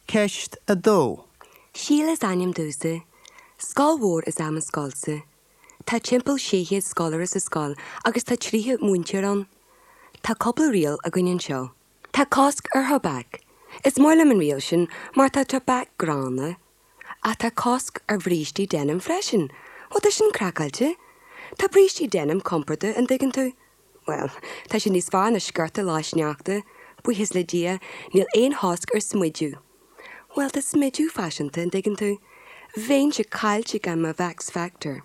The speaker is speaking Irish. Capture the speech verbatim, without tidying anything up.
Ceist a dó. Síle is ainm domhsa. Scoil mhór is ea mo scoilsa. Tá timpeall sé chéad scoláire sa scoil agus tá tríocha múinteoir ann. Tá cúpla riail againn anseo. Tá cosc ar thobac. Is maith liom an riail sin mar tá tobac gránna. Ach tá cosc ar bhrístí denim freisin, Ó tá sin craiceáilte? Tá brístí denim compordach an dtuigeann tú? Well, tá sé níos fearr ná sciorta lá sneachta, buíochas le Dia, níl aon chosc ar smideadh. Well tá smideadh faiseanta an dtuigeann tú. Bheinnse caillte gan mo Max Factor.